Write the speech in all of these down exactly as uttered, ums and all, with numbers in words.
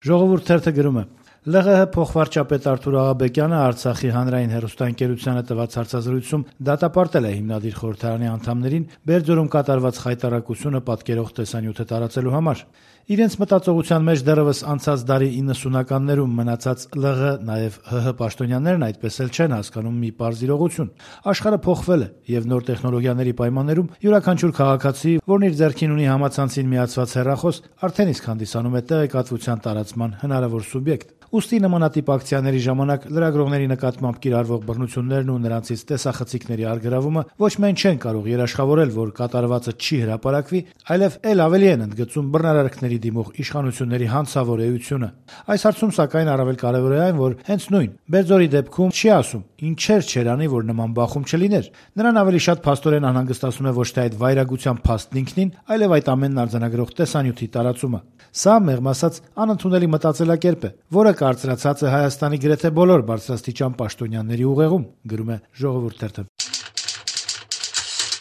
Ժողովուրդ թերթը գրում է. «ԼՂՀ փոխվարչապետ Արթուր Աղաբեկյանը Արցախի հանրային հեռուստաընկերությանը տված հարցազրույցում դատապարտել է հիմնադիր խորհրդարանի անդամներին Բերձորում կատարված խայտառակությունը պատկերող տեսանյութը տարածելու համար։ Իրենց մտածողության մեջ դեռևս անցած դարի իննսունականներում մնացած ԼՂ, նաև ՀՀ պաշտոնյաներն այդպես էլ չեն հասկանում մի պարզ իրողություն. աշխարհը փոխվել է, եւ նոր տեխնոլոգիաների պայմաններում յուրաքանչյուր քաղաքացի, որն իր ձեռքին ունի համացանցին միացված հեռախոս, արդեն իսկ հանդիսանում է տեղեկատվության տարածման հնարավոր սուբյեկտ։ Ուստի նմանատիպ ակցիաների ժամանակ լրագրողների նկատմամբ կիրառվող բռնություններն ու նրանցից տեսախցիկների առգրավումը ոչ միայն չեն կարող երաշխավորել, որ կատարվածը չի հրապարակվի, այլև էլ ավելի են ընդգծում բռնարարքների դիմող իշխանությունների հանցավոր էությունը։ Այս հարցում սակայն առավել կարևոր է այն, որ հենց նույն Բերձորի դեպքում չի ասում ինչեր չեր անի, որ նման բախում չլիներ։ Նրան ավելի շատ փաստորեն անհանգստացնում է ոչ թե այդ վայրագության փաստն ինքնին, այլև այդ ամենն արձանագրող տեսանյութի տարածումը։ Սա, մեղմ ասած, անընդունելի մտածելակերպ է, որը կարծրացած է Հայաստանի գրեթե բոլոր բարձրաստիճան պաշտոնյաների ուղեղում, գրում է Ժողովուրդ թերթը։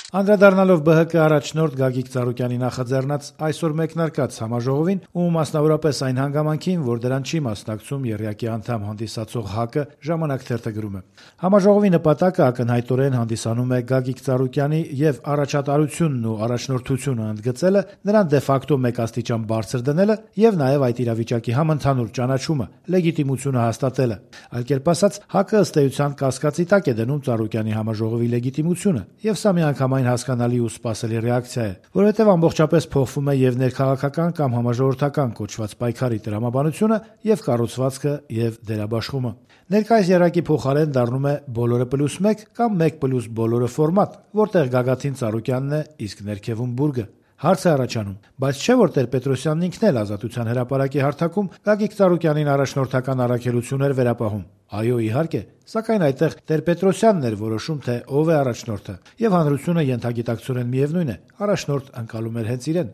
Անդրադառնալով ԲՀԿ առաջնորդ Գագիկ Ծառուկյանի նախաձեռնած այսօր մեկնարկած համաժողովին ու մասնավորապես այն հանգամանքին, որ դրան չի մասնակցում ԵՌԵԱԿ-ի անդամ հանդիսացող ՀԱԿ-ը, Ժամանակ թերթը գրում է. Համաժողովի նպատակը ակնհայտորեն հանդիսանում է Գագիկ Ծառուկյանի եւ առաջատարությունն ու առաջնորդությունը ընդգծելը, նրան դե ֆակտո մեկ աստիճան բարձր դնելը եւ նաեւ այդ իրավիճակի համընդհանուր ճանաչումը, լեգիտիմությունը հաստատելը։ Այլ կերպ ասած, ՀԱԿ-ը ըստ էության կասկածի տակ է դնում Ծառուկյանի համաժողովի լեգիտիմությունը եւ սա միանգամայն հասկանալի ու սպասելի ռեակցիա է, որովհետև ամբողջապես փոխվում է եւ ներքաղաքական կամ համաժողովրդական կոչված պայքարի տրամաբանությունը եւ կառուցվածքը եւ դերաբաշխումը։ Ներկայիս եռակի փոխարեն դառնում է բոլորը պլյուս մեկ կամ մեկ պլյուս բոլորը ֆորմատ, որտեղ գագաթին Ծառուկյանն է, իսկ ներքևում բուրգը։ Հարց է առաջանում, բայց չէ՞ որ Տեր-Պետրոսյանն ինքն էլ Ազատության հրապարակի հարթակում Գագիկ Ծառուկյանին առաջնորդական առաքելություն էր վերապահում։ Այո, իհարկե, սակայն այդտեղ Տեր-Պետրոսյանն էր որոշում, թե ով է առաջնորդը, եւ հանրությունը ենթագիտակցորեն միևնույն է, առաջնորդ ընկալում էր հենց իրեն։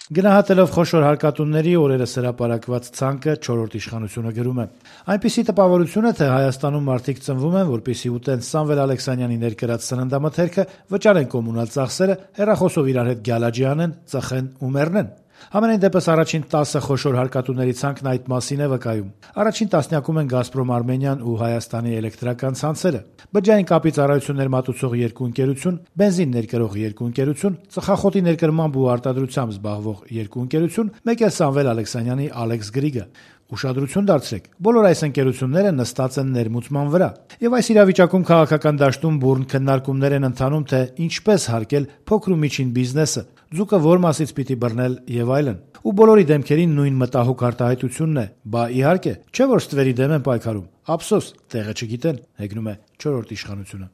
Գնահատելով խոշոր հարկատունների օրերս հրապարակված ցանկը չորրորդ իշխանությունը գրում է. այնպիսի տպավորություն է, թե Հայաստանում մարդիկ ծնվում են, որպեսզի ուտեն Սամվել Ալեքսանյանի ներկրած սննդամթերքը, վճարեն կոմունալ ծախսերը, հեռախոսով իրար հետ գյալաջի անեն, ծխեն ու մեռնեն։ Համենայն դեպս առաջին տասը խոշոր հարկատուների ցանկն այդ մասին է վկայում։ Առաջին տասնյակում են Գազպրոմ Արմենիան ու Հայաստանի էլեկտրական ցանցերը, բջջային կապի ծառայություններ մատուցող երկու ընկերություն, բենզին ներկրող երկու ընկերություն, ծխախոտի ներկրմամբ ու արտադրությամբ զբաղվող երկու ընկերություն, մեկ էլ Սամվել Ալեքսանյանի Ալեքս Գրիգը։ Ուշադրություն դարձրեք, բոլոր այս ընկերությունները նստած են ներմուծման վրա։ Եվ այս իրավիճակում քաղաքական դաշտում բուռն քննարկումներ են ընթանում, թե ինչպես հարկել փոքր ու միջին բիզնեսը, ձուկը որ մասից պիտի բռնել եւ այլն։ Ու բոլորի դեմքերին նույն մտահոգ արտահայտությունն է. բա իհարկե, չէ՞ որ ստվերի դեմ են պայքարում։ Ափսոս, տեղը չգիտեն, հեգնում է չորրորդ իշխանությունը։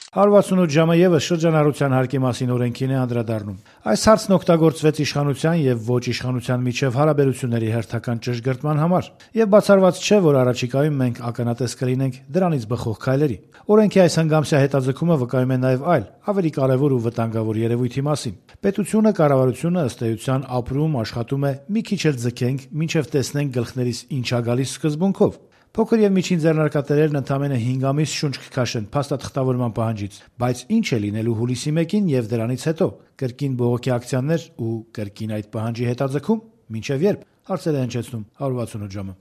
հարյուր վաթսունութ ժամը եւս շրջանառության հարկի մասին օրենքին է անդրադառնում։ Այս հարցն օգտագործվեց իշխանության եւ ոչ իշխանության միջև հարաբերությունների հերթական ճշգրտման համար, եւ բացառված չէ, որ առաջիկայում մենք ականատես կլինենք դրանից բխող քայլերի։ Օրենքի այս հանգամսյա հետաձգումը վկայում է նաեւ այլ, ավելի կարեւոր ու վտանգավոր երևույթի մասին։ Պետությունը, կառավարությունը ըստ էության ապրում, աշխատում է մի քիչ էլ ձգենք, մինչեւ տեսնենք գլխներիս ինչ ա գալիս սկզբունքով։ Փոքր եւ միջին ձեռնարկատերերն ընդամենը հինգ ամիս շունչ կքաշեն փաստաթղթավորման պահանջից, բայց ինչ է լինելու հուլիսի մեկին եւ դրանից հետո, կրկին բողոքի ակցիաներ ու կրկին այդ պահանջի հետաձգում, մինչեւ երբ, հարցեր է հնչեցնում հարյուր վաթսունութ ժամը։